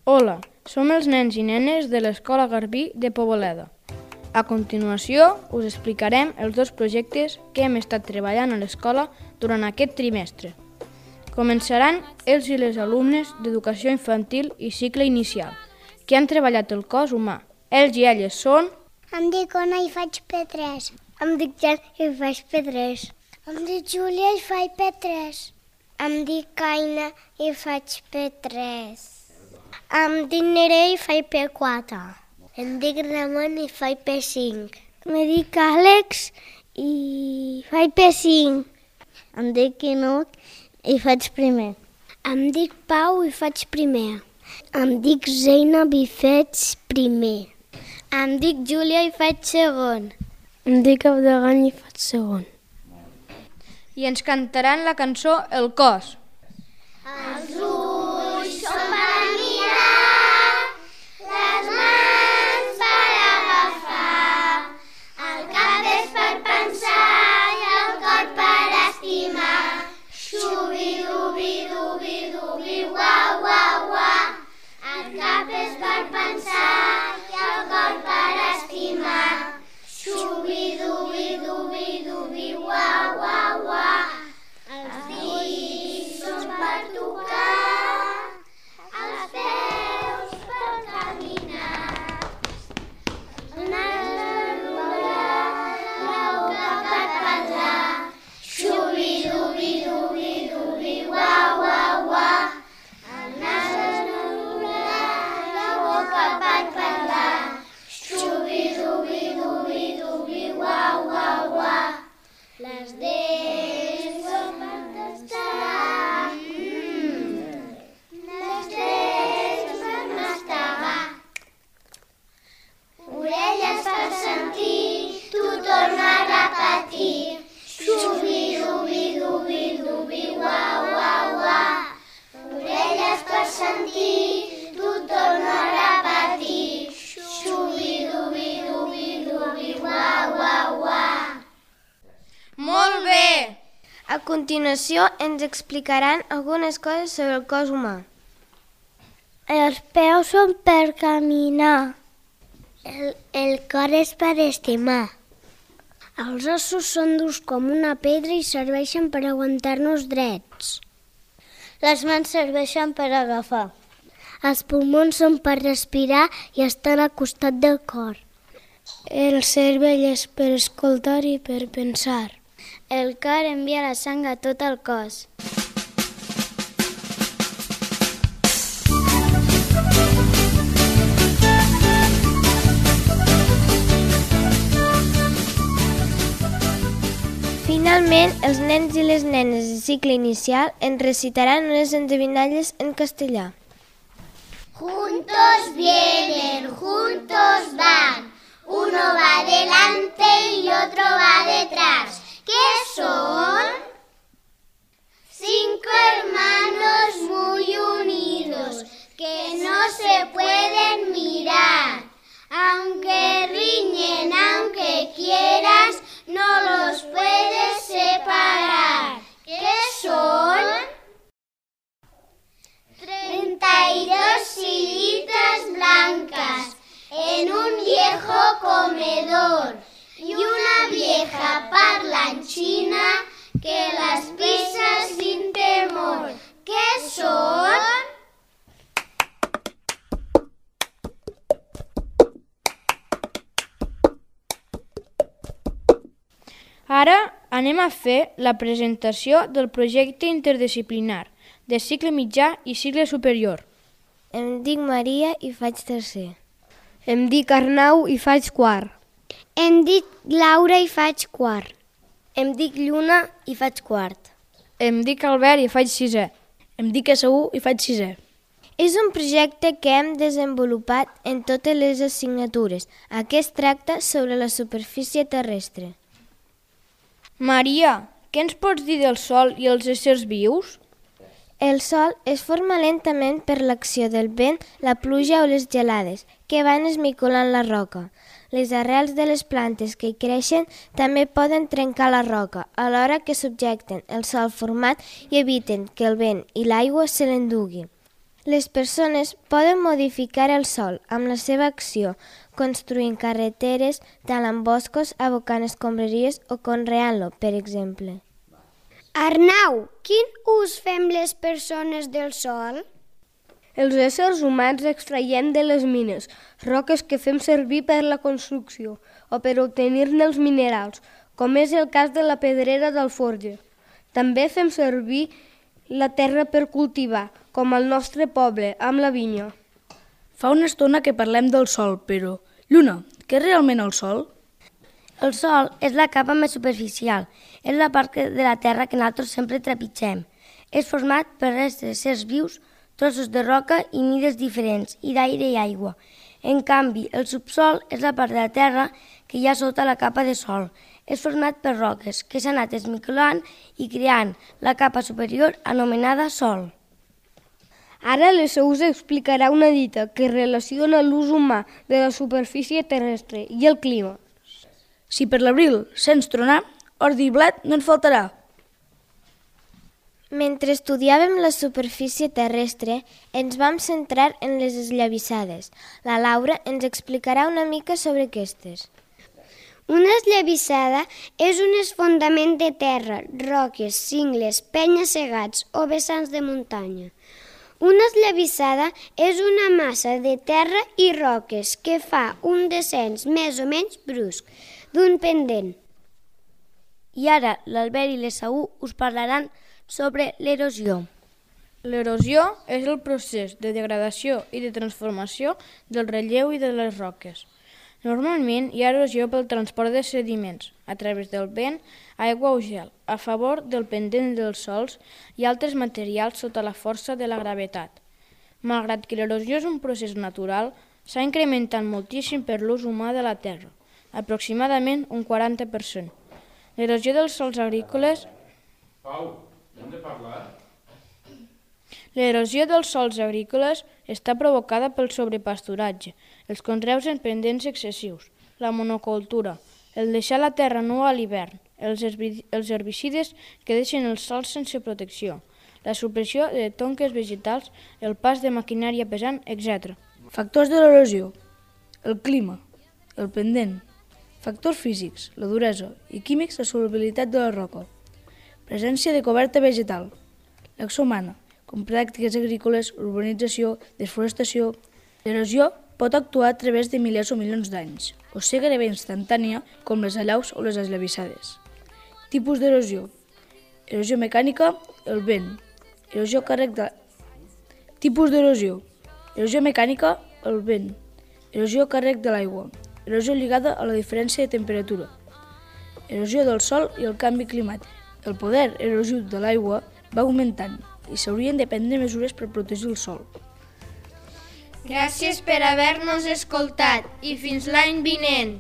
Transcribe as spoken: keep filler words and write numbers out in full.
Hola, som els nens i nenes de l'Escola Garbí de Poboleda. A continuació us explicarem els dos projectes que hem estat treballant a l'escola durant aquest trimestre. Començaran els i les alumnes d'Educació Infantil i Cicle Inicial, que han treballat el cos humà. Ells i elles són... Em dic Ona i faig P tres. Em dic Jan i faig P tres. Em dic Júlia i faig P tres. Em dic Aina i faig P tres. Em dic Nerea i faig P quatre. Em dic Ramon i faig P cinc. Em dic Àlex i faig P cinc. Em dic Quinut i faig primer. Em dic Pau i faig primer. Em dic Zeynab i faig primer. Em dic Júlia i faig segon. Em dic Abdegan i faig segon. I ens cantaran la cançó El cos. Els ulls són per mirar, les mans per agafar, el cap és per pensar i el cor per estimar. Xubi-dubi-dubi-dubi, ua-ua-ua. El cap és per pensar i el cor per estimar. Xubi-dubi-dubi-dubi, ua-ua-ua. Els dits són per tocar, els peus per caminar, el nas per plorar, la boca per parlar. Xubi-dubi-dubi-dubi, ua-ua-ua. El nas per plorar, la boca per parlar. Xubi-dubi-dubi-dubi, ua-ua-ua. Les dents són per tastar, mm. Les dents per mastegar, orelles per sentir, tu torna a repetir. Xubi-dubi-dubi-dubi, ua-ua-ua. Orelles per sentir, tu torna a repetir. Xubi-dubi-dubi-dubi, ua-ua-ua. Molt bé! A continuació ens explicaran algunes coses sobre el cos humà. Els peus són per caminar. El, el cor és per estimar. Els ossos són durs com una pedra i serveixen per aguantar-nos drets. Les mans serveixen per agafar. Els pulmons són per respirar i estan al costat del cor. El cervell és per escoltar i per pensar. El cor envia la sang a tot el cos. Finalment, els nens i les nenes de cicle inicial ens recitaran unes endevinalles en castellà. Juntos vienen, juntos van. Uno va delante y otro va detrás. ¿Qué son? Cinco hermanos muy unidos que no se pueden mirar. Aunque riñen, aunque quieras, no los puedes separar. ¿Qué son? Treinta y dos sillitas blancas en un viejo comedor y una vieja parlanchina que las pisa sin temor. ¿Qué son? Ara anem a fer la presentació del projecte interdisciplinar de cicle mitjà i cicle superior. Em dic Maria i faig tercer. Em dic Arnau i faig quart. Em dic Laura i faig quart. Em dic Lluna i faig quart. Em dic Albert i faig sisè. Em dic Esaú i faig sisè. És un projecte que hem desenvolupat en totes les assignatures. Aquest tracta sobre la superfície terrestre. Maria, què ens pots dir del Sol i els éssers vius? El Sol es forma lentament per l'acció del vent, la pluja o les gelades, que van esmicolant la roca. Les arrels de les plantes que hi creixen també poden trencar la roca, alhora que subjecten el sòl format i eviten que el vent i l'aigua se l'endugui. Les persones poden modificar el sòl amb la seva acció, construint carreteres, talant boscos, abocant escombraries o conreant-lo, per exemple. Arnau, quin ús fem les persones del sòl? Els éssers humans extraiem de les mines roques que fem servir per la construcció o per obtenir-ne els minerals, com és el cas de la pedrera d'Alforja. També fem servir la terra per cultivar, com al nostre poble, amb la vinya. Fa una estona que parlem del Sol, però... Lluna, què és realment el Sol? El Sol és la capa més superficial, és la part de la Terra que nosaltres sempre trepitgem. És format per restes d'éssers vius, trossos de roca i mides diferents, i d'aire i aigua. En canvi, el subsol és la part de la Terra que hi ha sota la capa de sol. És format per roques que s'han anat esmicolant i creant la capa superior anomenada Sol. Ara l'Esau us explicarà una dita que relaciona l'ús humà de la superfície terrestre i el clima. Si per l'abril sents tronar, ordi i blat no en faltarà. Mentre estudiàvem la superfície terrestre, ens vam centrar en les esllavissades. La Laura ens explicarà una mica sobre aquestes. Una esllavissada és un esfondament de terra, roques, cingles, penya-segats o vessants de muntanya. Una esllavissada és una massa de terra i roques que fa un descens més o menys brusc d'un pendent. I ara l'Albert i l'Esaú us parlaran sobre l'erosió. L'erosió és el procés de degradació i de transformació del relleu i de les roques. Normalment hi ha erosió pel transport de sediments, a través del vent, aigua o gel, a favor del pendent dels sòls i altres materials sota la força de la gravetat. Malgrat que l'erosió és un procés natural, s'ha incrementat moltíssim per l'ús humà de la terra, aproximadament un quaranta per cent. L'erosió dels sòls agrícoles... Pau, hem de parlar? L'erosió dels sòls agrícoles està provocada pel sobrepasturatge, els conreus en pendents excessius, la monocultura, el deixar la terra nua a l'hivern, els herbicides que deixen els sòls sense protecció, la supressió de tonques vegetals, el pas de maquinària pesant, etcètera. Factors de l'erosió: el clima, el pendent, factors físics, la duresa, i químics, la solubilitat de la roca, presència de coberta vegetal, l'acció humana, com pràctiques agrícoles, urbanització, desforestació. L'erosió pot actuar a través de milers o milions d'anys, o ser gairebé instantània, com les allaus o les esllavissades. Tipus d'erosió: erosió mecànica, el vent. Erosió càrrec de... Tipus d'erosió: erosió mecànica, el vent. Erosió càrrec de l'aigua. Erosió lligada a la diferència de temperatura. Erosió del sòl i el canvi climàtic. El poder erosiu de l'aigua va augmentant i s'haurien de prendre mesures per protegir el sòl. Gràcies per haver-nos escoltat i fins l'any vinent!